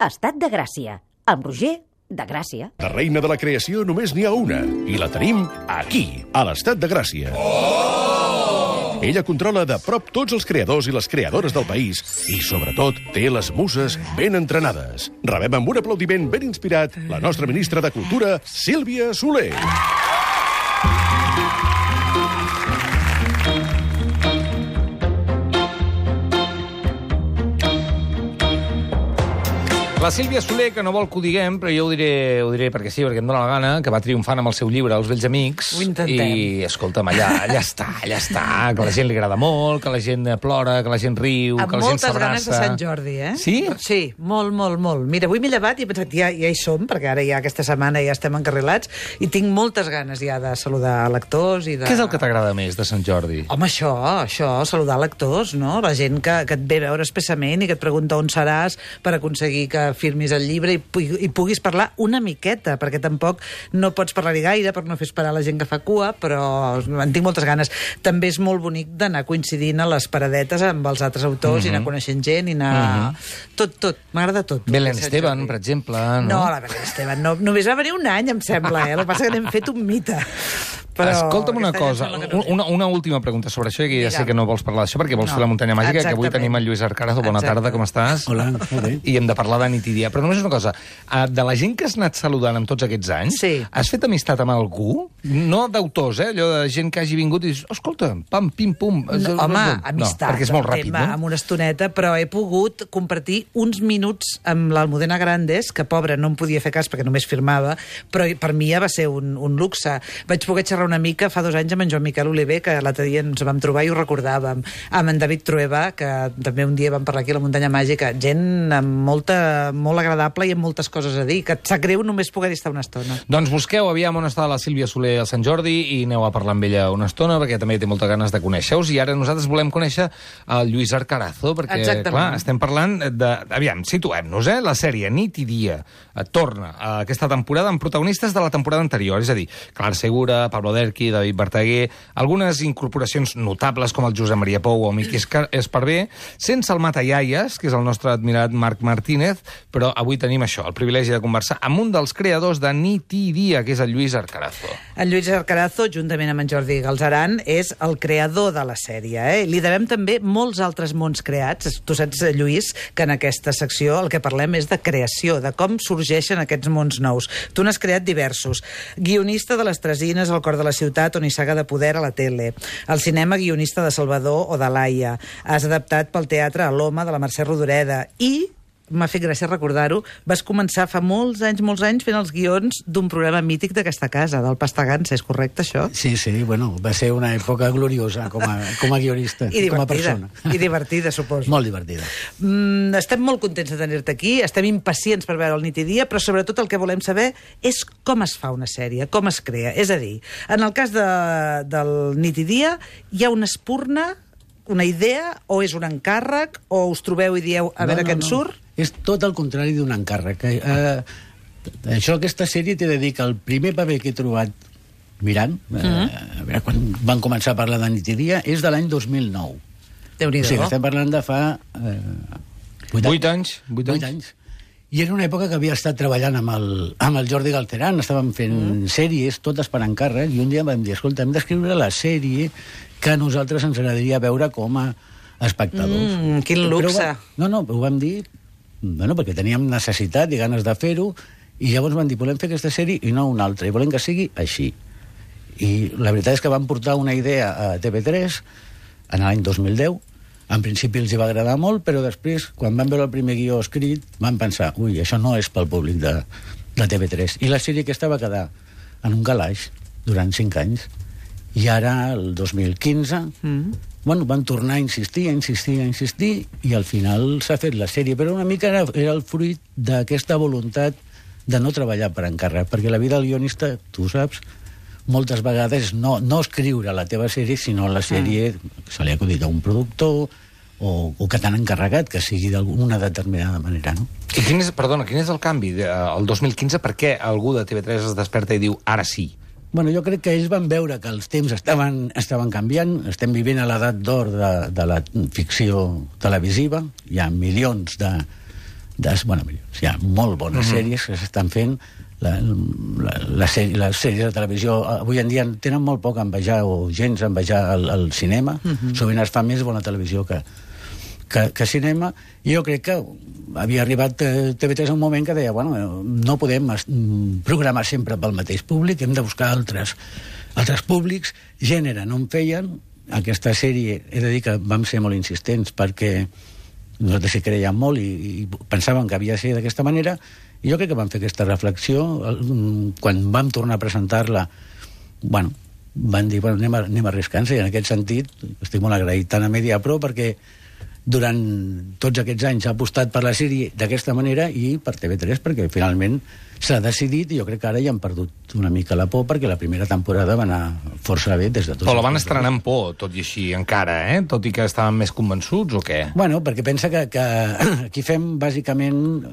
Estat de Gràcia, amb Roger de Gràcia. De reina de la creació només n'hi ha una, i la tenim aquí, a l'Estat de Gràcia. Ella controla de prop tots els creadors i les creadores del país i, sobretot, té les muses ben entrenades. Rebem amb un aplaudiment ben inspirat la nostra ministra de Cultura, Sílvia Soler. La Sílvia Soler, que no vol que ho diguem, però jo ho diré perquè sí, perquè em dóna la gana, que va triomfant amb el seu llibre Els vells amics. Ho intentem. I, escolta'm, allà està, que la gent li agrada molt, que la gent plora, que la gent riu, que la gent s'abraça. Amb moltes ganes de Sant Jordi, eh? Sí? Sí, molt, molt, molt. Mira, avui m'he llevat i he pensat, ja hi som, perquè ara ja aquesta setmana ja estem encarrilats, i tinc moltes ganes ja de saludar lectors i de... Què és el que t'agrada més de Sant Jordi? Home, això, saludar lectors, no? La gent que et ve a veure expressament i que et pregunta on seràs per aconseguir que firmis el llibre i puguis parlar una miqueta, perquè tampoc no pots parlar-hi gaire per no fer esperar la gent que fa cua, però en tinc moltes ganes. També és molt bonic d'anar coincidint a les paradetes amb els altres autors i anar coneixent gent i anar... Tot. M'agrada tot. Belén Esteban, per exemple, no? No, la Belén Esteban no. Només va venir un any, em sembla, eh? El que passa que n'hem fet un mite. Però escolta'm una cosa, una última pregunta sobre això, que ja sé que no vols parlar d'això perquè vols fer la muntanya màgica, que avui tenim el Lluís Arcarazo. Bona tarda, com estàs? Hola, molt bé. I hem de parlar de nit i dia. Però només una cosa, de la gent que has anat saludant amb tots aquests anys, has fet amistat amb algú? No d'autors, allò de gent que hagi vingut i dius, escolta, pam, pim, pum... No, home, amistat. No, perquè és molt ràpid, no? Amb una estoneta, però he pogut compartir uns minuts amb l'Almudena Grandes, que, pobra, no em podia fer cas perquè només firmava, però per mi ja va ser un luxe. Vaig poder xerrar una mica fa 2 anys amb en Joan Miquel Oliver, que l'altre dia ens vam trobar i ho recordàvem, amb en David Trueba, que també un dia vam parlar aquí a la muntanya màgica, gent molt agradable i amb moltes coses a dir, que et sap greu només poder-hi estar una estona. Doncs busqueu aviam on està la Sílvia Soler al Sant Jordi i aneu a parlar amb ella una estona, perquè també té moltes ganes de conèixer-us, i ara nosaltres volem conèixer el Lluís Arcarazo, perquè, clar, estem parlant de... Aviam, situem-nos, la sèrie Nit i dia torna a aquesta temporada amb protagonistes de la temporada anterior, és a dir, Clar Segura, Pablo Derqui, David Verdaguer, algunes incorporacions notables com el Josep Maria Pou o Miqui Esparvé, sense el Matallaies, que és el nostre admirat Marc Martínez, però avui tenim això, el privilegi de conversar amb un dels creadors de Nit i dia, que és el Lluís Arcarazo. El Lluís Arcarazo, juntament amb en Jordi Galzeran, és el creador de la sèrie. Li devem també molts altres mons creats. Tu saps, Lluís, que en aquesta secció el que parlem és de creació, de com sorgeixen aquests mons nous. Tu n'has creat diversos. Guionista de Les Tresines, El cor de la ciutat, on hi saga de poder a la tele. Al cinema, guionista de Salvador o de Laia. Has adaptat pel teatre a l'Home, de la Mercè Rodoreda. I m'ha fet gràcia recordar-ho, vas començar fa molts anys fent els guions d'un programa mític d'aquesta casa, del Pastagansa, és correcte, això? Sí, bueno, va ser una època gloriosa com a guionista i com a persona. I divertida, suposo. Molt divertida. Estem molt contents de tenir-te aquí, estem impacients per veure el Nit i dia, però sobretot el que volem saber és com es fa una sèrie, com es crea. És a dir, en el cas del Nit i dia, hi ha una espurna, una idea, o és un encàrrec, o us trobeu i dieu a veure què en surt? És tot el contrari d'un encàrrec. Aquesta sèrie t'he de dir que el primer paper que he trobat mirant, a veure, quan van començar a parlar de Nit i dia, és de l'any 2009. Déu-n'hi-do. O sigui, estem parlant de fa 8 anys. I era una època que havia estat treballant amb el Jordi Galzeran, estàvem fent sèries, totes per encàrrec, i un dia vam dir, escolta, hem d'escriure la sèrie que a nosaltres ens agradaria veure com a espectadors. Quin luxe. No, ho vam dir, perquè teníem necessitat i ganes de fer-ho, i llavors van dir, volem fer aquesta sèrie i no una altra, i volem que sigui així. I la veritat és que van portar una idea a TV3 en l'any 2010, en principi els hi va agradar molt, però després, quan van veure el primer guió escrit, van pensar, ui, això no és pel públic de TV3. I la sèrie aquesta va quedar en un calaix durant 5 anys. I ara, el 2015, van tornar a insistir, i al final s'ha fet la sèrie. Però una mica era el fruit d'aquesta voluntat de no treballar per encàrrec, perquè la vida del guionista, tu saps, moltes vegades no escriure la teva sèrie, sinó la sèrie se li ha acudit a un productor o que t'han encarregat que sigui d'alguna determinada manera, no? I quin és el canvi? El 2015, per què algú de TV3 es desperta i diu, ara sí? Bueno, jo crec que ells van veure que els temps estaven canviant, estem vivint a l'edat d'or de la ficció televisiva, hi ha milions hi ha molt bones sèries que s'estan fent. Les sèries de televisió avui en dia tenen molt poc a envejar o gens a envejar el cinema. Sovint es fa més bona televisió que cinema, i jo crec que havia arribat TV3 a un moment que deia, no podem programar sempre pel mateix públic, hem de buscar altres públics. Gènere no en feien. Aquesta sèrie, he de dir que vam ser molt insistents perquè nosaltres hi creiem molt i pensàvem que havia de ser d'aquesta manera, i jo crec que vam fer aquesta reflexió. Quan vam tornar a presentar-la, van dir, anem arriscant-se, i en aquest sentit estic molt agraït tant a Mediapro, perquè durant tots aquests anys ha apostat per la sèrie d'aquesta manera, i per TV3 perquè finalment s'ha decidit, i jo crec que ara ja han perdut una mica la por, perquè la primera temporada va anar força bé des de tots. Però la van estrenar amb por, tot i així, encara, tot i que estaven més convençuts, o què? Perquè pensa que aquí fem bàsicament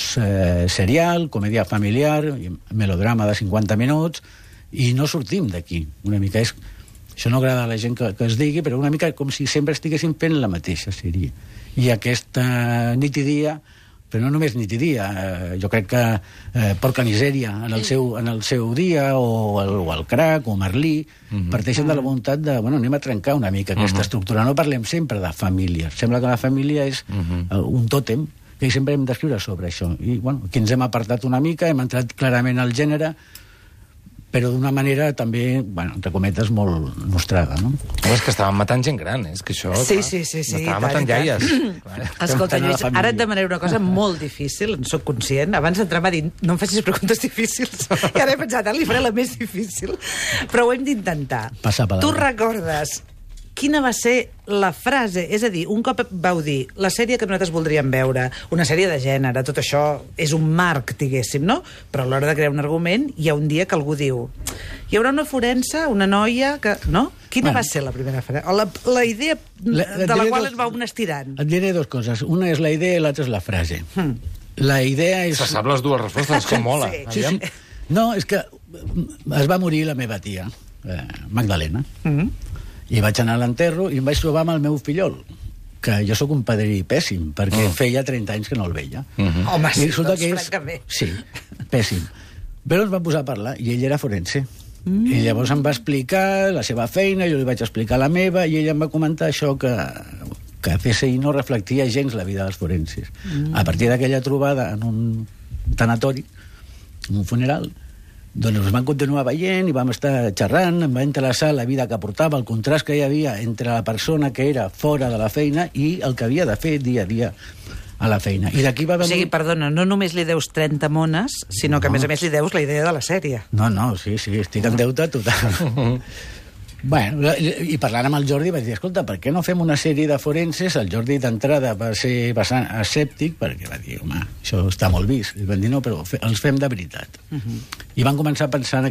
serial, comèdia familiar, melodrama de 50 minuts, i no sortim d'aquí. Una mica és... Això no agrada a la gent que es digui, però una mica com si sempre estiguéssim fent la mateixa sèrie. I aquesta nit i dia, però no només nit i dia, jo crec que Porca Misèria en el seu dia, o el Crac, o Merlí, parteixen de la voluntat de, anem a trencar una mica aquesta estructura. No parlem sempre de família. Sembla que la família és un tòtem, que sempre hem d'escriure sobre això. I, aquí ens hem apartat una mica, hem entrat clarament al gènere, però d'una manera també, entre cometes, molt nostrada, no? És que estàvem matant gent gran, és que això... Sí. Estàvem matant iaies. Escolta, Lluís, ara et demanaré una cosa molt difícil, en soc conscient. Abans d'entrar m'ha dit, no em facis preguntes difícils. I ara he pensat, li faré la més difícil. Però ho hem d'intentar. Tu recordes quina va ser la frase? És a dir, un cop vau dir la sèrie que nosaltres voldríem veure, una sèrie de gènere, tot això és un marc, diguéssim, no? Però a l'hora de crear un argument hi ha un dia que algú diu hi haurà una forense, una noia que... No? Quina va ser la primera frase? La idea de la qual es va un estirant. Et diré dues coses. Una és la idea i l'altra és la frase. La idea és... Se sap les dues respostes, com mola. Sí. No, és que es va morir la meva tia, Magdalena. I vaig anar a l'enterro i em vaig trobar amb el meu fillol, que jo sóc un padrí pèssim, perquè feia 30 anys que no el veia. Home, sí, francament. Sí, pèssim. Però ens vam posar a parlar, i ell era forense. I llavors em va explicar la seva feina, jo li vaig explicar la meva, i ell em va comentar això que CSI no reflectia gens la vida dels forenses. A partir d'aquella trobada en un tanatori, en un funeral, doncs ens vam continuar veient i vam estar xerrant, em va interessar la vida que portava, el contrast que hi havia entre la persona que era fora de la feina i el que havia de fer dia a dia a la feina. I d'aquí va venir... O sigui, perdona, no només li deus 30 mones, sinó que a més li deus la idea de la sèrie. No, sí, estic en deute total. I parlant amb el Jordi vaig dir, escolta, per què no fem una sèrie de forenses? El Jordi d'entrada va ser bastant escèptic, perquè va dir, home, això està molt vist. I van dir, no, però els fem de veritat. I van començar a pensar en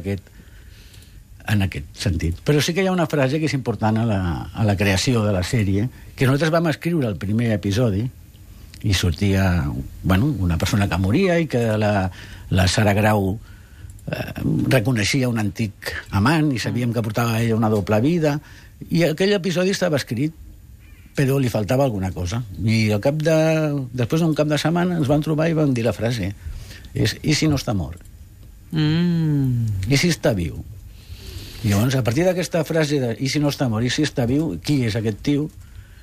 aquest sentit. Però sí que hi ha una frase que és important a la creació de la sèrie, que nosaltres vam escriure el primer episodi, i sortia una persona que moria i que la Sara Grau reconeixia un antic amant i sabíem que portava ella una doble vida, i aquell episodi estava escrit però li faltava alguna cosa, i després d'un cap de setmana ens van trobar i van dir la frase i si no està mort? I si està viu? I llavors a partir d'aquesta frase de i si no està mort, i si està viu, qui és aquest tio?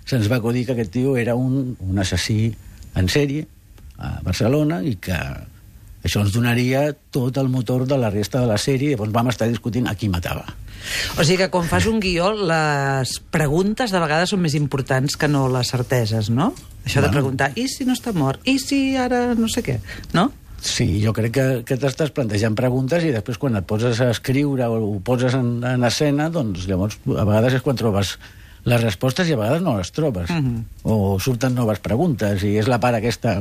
Se'ns va acudir que aquest tio era un assassí en sèrie a Barcelona i que això ens donaria tot el motor de la resta de la sèrie, i llavors vam estar discutint a qui matava. O sigui que quan fas un guió, les preguntes de vegades són més importants que no les certeses, no? Això de preguntar, i si no està mort? I si ara no sé què? No? Sí, jo crec que t'estàs plantejant preguntes i després quan et poses a escriure o ho poses en escena, doncs llavors a vegades és quan trobes les respostes i a vegades no les trobes. O surten noves preguntes i és la part aquesta,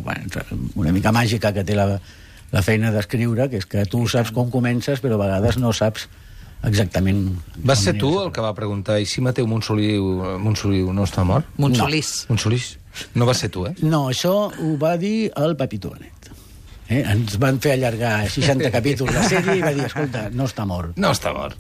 una mica màgica que té la feina d'escriure, que és que tu saps com comences, però a vegades no saps exactament... Vas ser tu el que va preguntar i si Mateu Montsoliu no està mort? Monsolís. No va ser tu, No, això ho va dir el Pepito Benet. Ens van fer allargar 60 capítols la sèrie i va dir, escolta, no està mort. No està mort.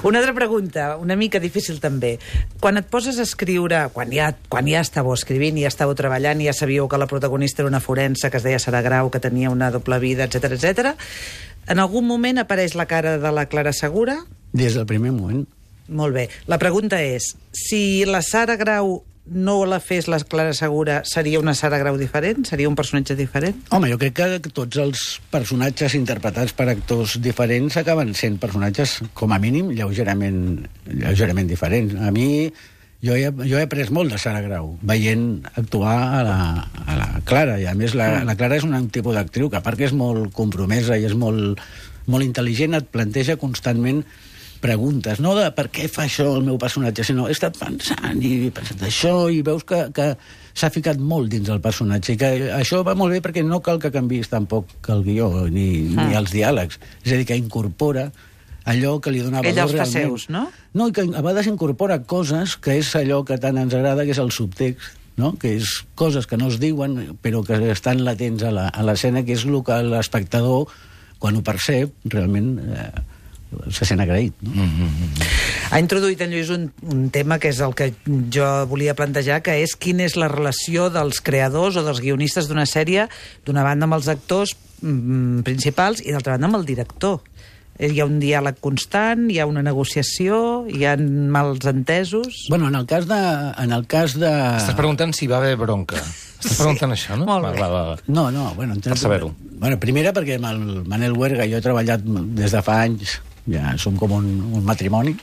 Una altra pregunta, una mica difícil també. Quan et poses a escriure, quan ja estàveu escrivint, ja estàveu treballant, ja sabíeu que la protagonista era una forense, que es deia Sara Grau, que tenia una doble vida, etc. En algun moment apareix la cara de la Clara Segura? Des del primer moment. Molt bé. La pregunta és, si la Sara Grau no la fes la Clara Segura, seria una Sara Grau diferent? Seria un personatge diferent? Home, jo crec que tots els personatges interpretats per actors diferents acaben sent personatges, com a mínim, lleugerament diferents. A mi, jo he après molt de Sara Grau, veient actuar a la Clara, i a més la Clara és un tipus d'actriu que, a part que és molt compromesa i és molt intel·ligent, et planteja constantment preguntes, no de per què fa això el meu personatge, sinó he estat pensant i he pensat això, i veus que s'ha ficat molt dins el personatge, i que això va molt bé perquè no cal que canviïs tampoc el guió ni els diàlegs, és a dir, que incorpora allò que li donava ella els fa realment. seus, no? No, i que a vegades incorpora coses que és allò que tant ens agrada, que és el subtext, no? Que és coses que no es diuen però que estan latents a l'escena, que és el que l'espectador, quan ho percep, realment se sent agraït. No? Ha introduït en Lluís un tema que és el que jo volia plantejar, que és quina és la relació dels creadors o dels guionistes d'una sèrie, d'una banda amb els actors principals i d'altra banda amb el director. Hi ha un diàleg constant, hi ha una negociació, hi ha mals entesos... Bueno, en el cas de... Estàs preguntant si va haver bronca. Estàs preguntant això, no? Molt bé. Va. No, bueno... Per saber-ho. Bueno, primera perquè amb el Manel Huerga jo he treballat des de fa anys, ja som com un matrimoni,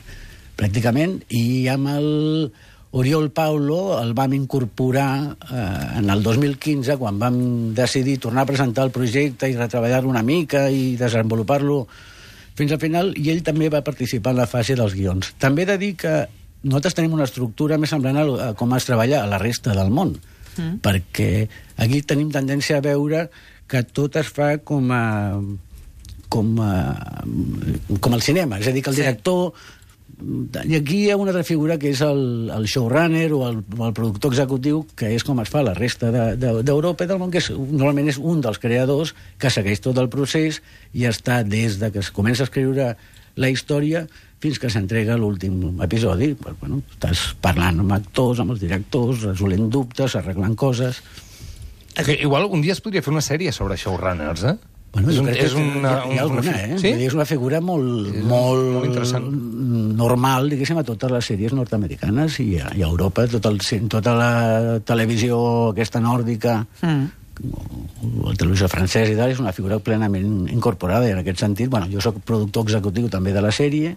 pràcticament, i amb el Oriol Paulo el vam incorporar en el 2015, quan vam decidir tornar a presentar el projecte i retreballar-lo una mica i desenvolupar-lo fins al final, i ell també va participar en la fase dels guions. També he de dir que nosaltres tenim una estructura més semblant a com es treballa a la resta del món, perquè aquí tenim tendència a veure que tot es fa com el cinema, és a dir, que el director... I aquí hi ha una altra figura que és el showrunner o el productor executiu, que és com es fa a la resta d'Europa i del món, que normalment és un dels creadors que segueix tot el procés i està des de que es comença a escriure la història fins que s'entrega l'últim episodi. Bueno, estàs parlant amb actors, amb els directors, resolent dubtes, arreglant coses... Igual un dia es podria fer una sèrie sobre showrunners, Bueno, hi ha alguna, Sí? És una figura molt interessant. Normal, diguéssim, a totes les sèries nord-americanes i a Europa, tota la televisió aquesta nòrdica, la televisió francesa i tal, és una figura plenament incorporada, i en aquest sentit, bueno, jo soc productor executiu també de la sèrie,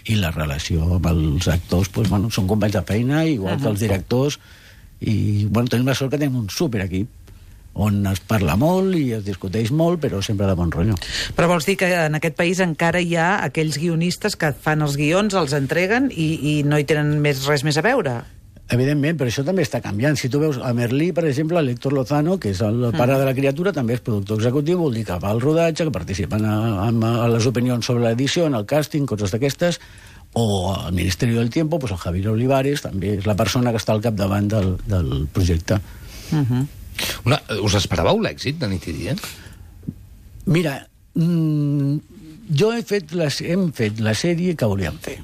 i la relació amb els actors, doncs, bueno, són companys de feina, igual que els directors, i bueno, tenim la sort que tenim un superequip on es parla molt i es discuteix molt, però sempre de bon rotllo. Però vols dir que en aquest país encara hi ha aquells guionistes que fan els guions, els entreguen i no hi tenen res més a veure? Evidentment, però això també està canviant. Si tu veus a Merlí, per exemple, l'Héctor Lozano, que és el pare de la criatura, també és productor executiu, vol dir que va al rodatge, que participen a les opinions sobre l'edició, en el càsting, coses d'aquestes, o al Ministeri del Tiempo, pues el Javier Olivares també és la persona que està al capdavant del projecte. Us esperàveu l'èxit de Nit i Dia? Mira, jo hem fet la sèrie que volíem fer.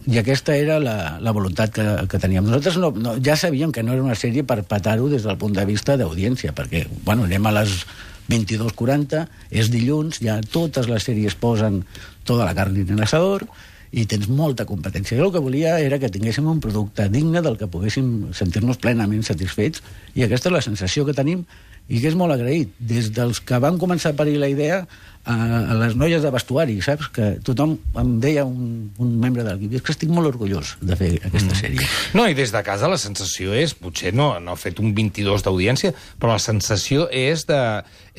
I aquesta era la voluntat que teníem. Nosaltres ja sabíem que no era una sèrie per petar-ho des del punt de vista d'audiència, perquè, bueno, anem a les 22:40, és dilluns, ja totes les sèries posen tota la carn en l'asador, i tens molta competència. Jo el que volia era que tinguéssim un producte digne del que poguéssim sentir-nos plenament satisfets, i aquesta és la sensació que tenim, i que és molt agraït. Des dels que van començar a parir la idea a les noies de vestuari, saps? Que tothom em deia, un membre de l'equip, és que estic molt orgullós de fer aquesta sèrie. No, i des de casa la sensació és, potser no ha fet un 22 d'audiència, però la sensació és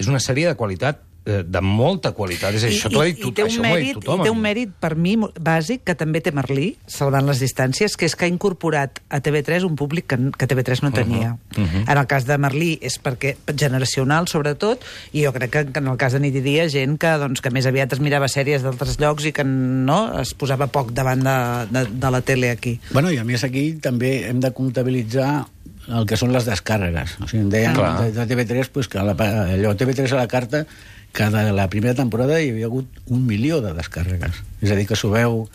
una sèrie de qualitat, de molta qualitat. És això t'ho ha dit tothom. I té un mèrit, per mi, bàsic, que també té Merlí, salvant les distàncies, que és que ha incorporat a TV3 un públic que TV3 no tenia. En el cas de Merlí és perquè generacional, sobretot, i jo crec que en el cas de Nit i Dia, gent que més aviat es mirava sèries d'altres llocs i que no es posava poc davant de la tele aquí. Bueno, i a més aquí també hem de comptabilitzar el que són les descàrregues. O sigui, em deien de TV3 pues, que allò TV3 a la carta, la primera temporada hi havia hagut 1 milió de descàrregues. És a dir, que s'ho veu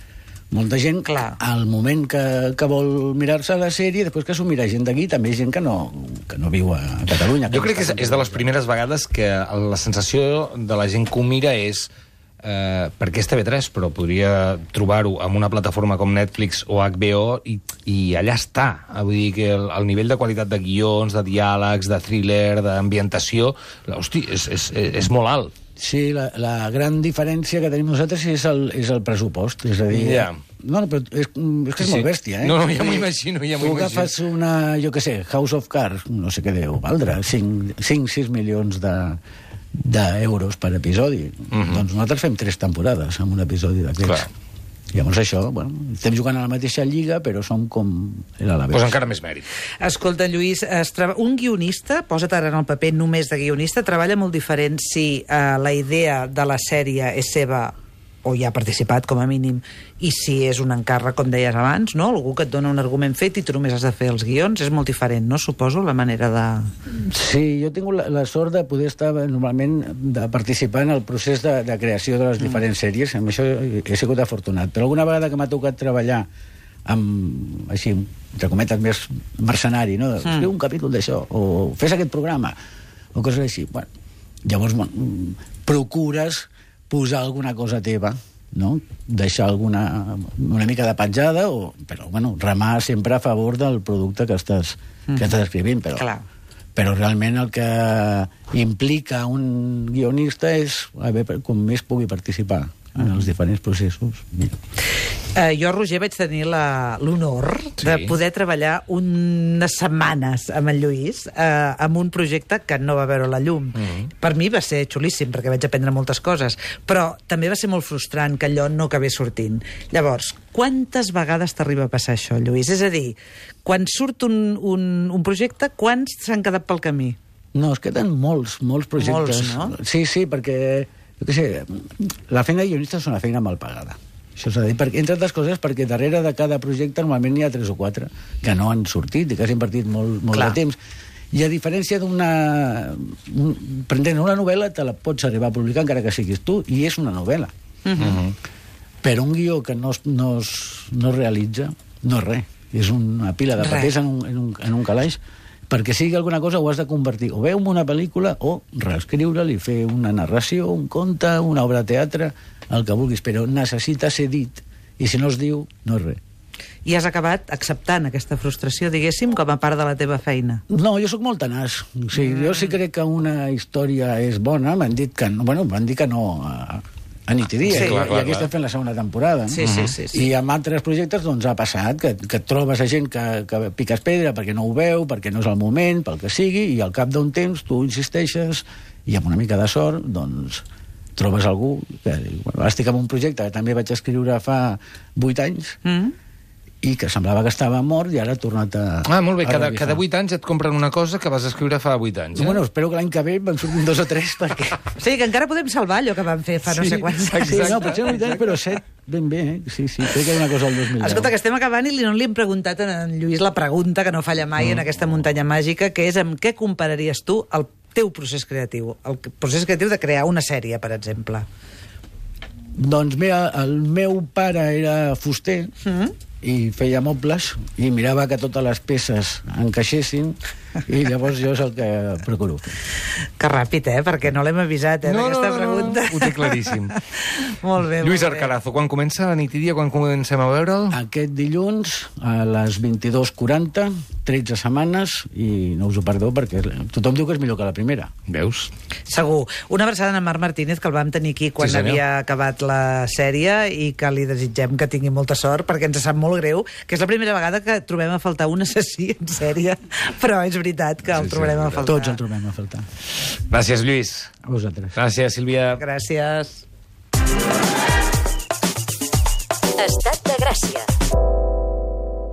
molta gent al moment que vol mirar-se la sèrie, després que s'ho mira gent d'aquí, també hi ha gent que no viu a Catalunya. Jo crec que és de les primeres vegades que la sensació de la gent que ho mira és perquè és TV3, però podria trobar-ho en una plataforma com Netflix o HBO i allà està. Vull dir que el nivell de qualitat de guions, de diàlegs, de thriller, d'ambientació, hosti, és molt alt. Sí, la gran diferència que tenim nosaltres és el pressupost. És a dir, no, però és que és molt bèstia, No, ja m'ho imagino, Tu agafes una, jo què sé, House of Cards, no sé què deu valdre, 5-6 milions d'euros per episodi. Doncs nosaltres fem 3 temporades amb un episodi d'aquests. Llavors això, estem jugant a la mateixa lliga, però som com l'Alavés. Pues encara més mèrit. Escolta, Lluís, un guionista, posa't ara en el paper només de guionista, treballa molt diferent si la idea de la sèrie és seva o hi ha participat, com a mínim, i si és un encàrrec, com deies abans, no? Algú que et dona un argument fet i tu només has de fer els guions, és molt diferent, no? Suposo, la manera de... Sí, jo he tingut la sort de poder estar normalment de participar en el procés de creació de les diferents sèries, amb això he sigut afortunat, però alguna vegada que m'ha tocat treballar amb, així, entre cometes, més mercenari, no? Escriu un capítol d'això, o fes aquest programa, o coses així. Llavors, procures posar alguna cosa teva, no? Deixar una mica de petjada, però, remar sempre a favor del producte que estàs escrivint, però realment el que implica un guionista és com més pugui participar en els diferents processos. Jo, Roger, vaig tenir l'honor de poder treballar unes setmanes amb en Lluís amb un projecte que no va veure la llum. Per mi va ser xulíssim, perquè vaig aprendre moltes coses, però també va ser molt frustrant que allò no acabés sortint. Llavors, quantes vegades t'arriba a passar això, Lluís? És a dir, quan surt un projecte, quants s'han quedat pel camí? No, es queden molts projectes. Molts, no? Sí, perquè, jo què sé, la feina de guionista és una feina mal pagada. Això s'ha de dir, entre altres coses, perquè darrere de cada projecte normalment n'hi ha 3 o 4 que no han sortit i que has invertit molt de temps. I a diferència prendent una novel·la, te la pots arribar a publicar encara que siguis tu, i és una novel·la. Però un guió que no es realitza, no és res. És una pila de papers en un calaix. Perquè sigui alguna cosa ho has de convertir o bé en una pel·lícula o reescriure-li, fer una narració, un conte, una obra de teatre, el que vulguis, però necessita ser dit, i si no es diu, no és res. I has acabat acceptant aquesta frustració, diguéssim, com a part de la teva feina? No, jo sóc molt tenaç. O sigui, jo sí crec que una història és bona, m'han dit que no a nit i dia, i aquí estem fent la segona temporada. Sí. I amb altres projectes doncs ha passat que trobes a gent que piques pedra perquè no ho veu, perquè no és el moment, pel que sigui, i al cap d'un temps tu insisteixes i amb una mica de sort doncs trobes algú que estic en un projecte que també vaig escriure fa 8 anys i que semblava que estava mort i ara ha tornat a... Molt bé, cada 8 anys et compren una cosa que vas escriure fa 8 anys. Bueno, espero que l'any que ve me'n surtin 2 o 3 perquè... Sí, que encara podem salvar allò que vam fer fa no sé quants anys. Sí, no, potser 8 anys, però 7 ben bé, Sí, crec que hi ha una cosa al 2010. Escolta, que estem acabant i no li hem preguntat a en Lluís la pregunta que no falla mai en aquesta muntanya màgica, que és amb què compararies tu el teu procés creatiu? El procés creatiu de crear una sèrie, per exemple. Doncs mira, el meu pare era fuster i feia mobles i mirava que totes les peces encaixessin i llavors jo és el que procuro fer. Que ràpid, perquè no l'hem avisat, aquesta pregunta. Ho té claríssim. Molt bé. Lluís Arcarazo, quan comença la nit i dia, quan comencem a veure'l? Aquest dilluns a les 22:40, 13 setmanes, i no us ho perdó perquè tothom diu que és millor que la primera. Veus? Segur. Una abraçada a Marc Martínez, que el vam tenir aquí quan havia acabat la sèrie i que li desitgem que tingui molta sort perquè ens sap molt greu, que és la primera vegada que trobem a faltar un assassí en sèrie, però és veritat que el trobarem a faltar. Tots el trobem a faltar. Gràcies, Lluís. A vosaltres. Gràcies, Sílvia. Gràcies. Estat de Gràcia.